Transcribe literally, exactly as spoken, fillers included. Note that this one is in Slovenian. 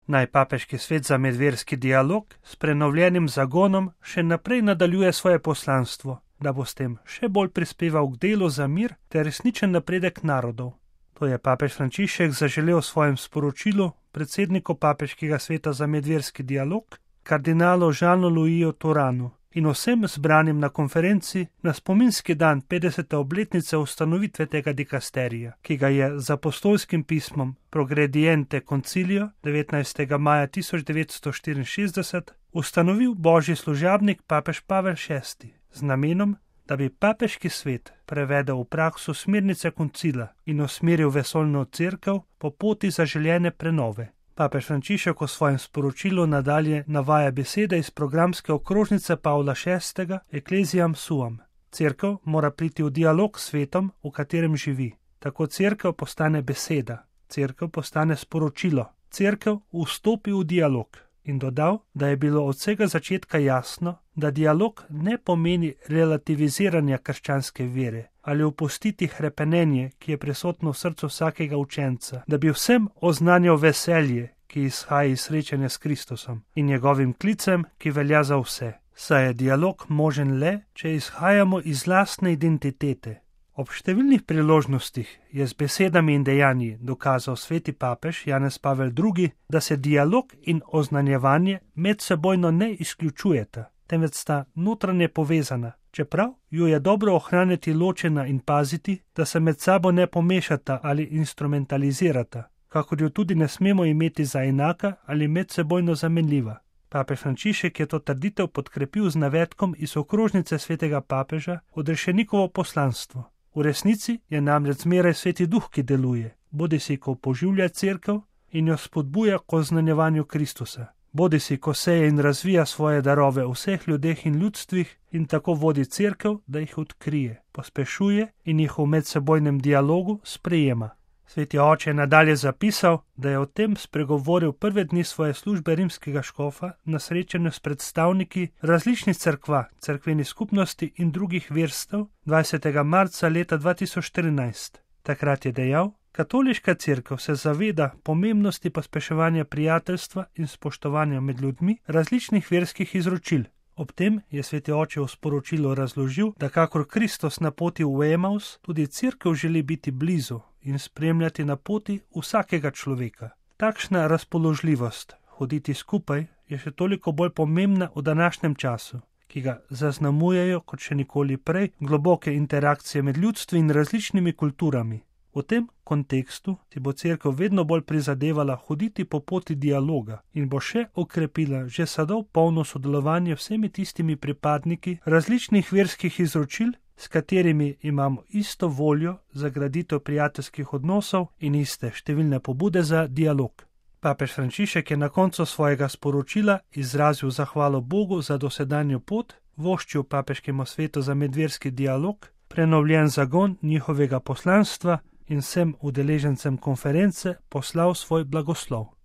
Naj papeški svet za medverski dialog s prenovljenim zagonom še naprej nadaljuje svoje poslanstvo, da bo s tem še bolj prispeval k delu za mir ter resničen napredek narodov. To je papež Frančišek zaželel v svojem sporočilu predsedniku papeškega sveta za medverski dialog, kardinalu Jeanu Louisu Turanu in vsem zbranim na konferenci na spominski dan petdesete obletnice ustanovitve tega dikasterija, ki ga je z apostolskim pismom Progrediente Concilio devetnajstega maja tisoč devetsto štiriinšestdeset ustanovil božji služabnik papež Pavel šesti z namenom, da bi papeški svet prevedel v prakso smernice koncila in usmeril vesoljno cerkev po poti zaželjene prenove. Papež Frančišek v svojem sporočilu nadalje navaja besede iz programske okrožnice Pavla šestega Ecclesiam Suam. Cerkev mora priti v dialog s svetom, v katerem živi. Tako cerkev postane beseda, cerkev postane sporočilo, cerkev vstopi v dialog. In dodal, da je bilo od vsega začetka jasno, da dialog ne pomeni relativiziranja krščanske vere ali opustiti hrepenenje, ki je prisotno v srcu vsakega učenca, da bi vsem oznanjal veselje, ki izhaja iz srečanja s Kristusom in njegovim klicem, ki velja za vse. Saj je dialog možen le, če izhajamo iz lastne identitete. Ob številnih priložnostih je z besedami in dejanji dokazal sveti papež Janez Pavel drugi, da se dialog in oznanjevanje medsebojno ne izključujeta, temveč sta notranje povezana, čeprav ju je dobro ohraniti ločena in paziti, da se med sabo ne pomešata ali instrumentalizirata, kakor jo tudi ne smemo imeti za enaka ali medsebojno zamenljiva. Papež Frančišek je to trditev podkrepil z navedkom iz okrožnice svetega papeža Odrešenikovo poslanstvo. V resnici je namreč zmeraj sveti duh, ki deluje, bodisi ko poživlja cerkev in jo spodbuja k oznanjevanju Kristusa, bodisi ko seje in razvija svoje darove v vseh ljudeh in ljudstvih in tako vodi cerkev, da jih odkrije, pospešuje in jih v medsebojnem dialogu sprejema. Sveti oče je nadalje zapisal, da je o tem spregovoril prve dni svoje službe rimskega škofa na srečanju s predstavniki različnih cerkva, cerkvenih skupnosti in drugih verstev dvajsetega marca leta dva tisoč štirinajst. Takrat je dejal, katoliška cerkev se zaveda pomembnosti pospeševanja prijateljstva in spoštovanja med ljudmi različnih verskih izročil. Ob tem je sveti oče v sporočilu razložil, da kakor Kristus na poti v Emaus, tudi cerkev želi biti blizu in spremljati na poti vsakega človeka. Takšna razpoložljivost, hoditi skupaj, je še toliko bolj pomembna v današnjem času, ki ga zaznamujejo kot še nikoli prej globoke interakcije med ljudstvi in različnimi kulturami. V tem kontekstu si bo cerkev vedno bolj prizadevala hoditi po poti dialoga in bo še okrepila že sedaj polno sodelovanje vsemi tistimi pripadniki različnih verskih izročil, s katerimi imamo isto voljo za graditev prijateljskih odnosov in iste številne pobude za dialog. Papež Frančišek je na koncu svojega sporočila izrazil zahvalo Bogu za dosedanjo pot, voščil papeškemu svetu za medverski dialog, prenovljen zagon njihovega poslanstva in vsem udeležencem konference poslal svoj blagoslov.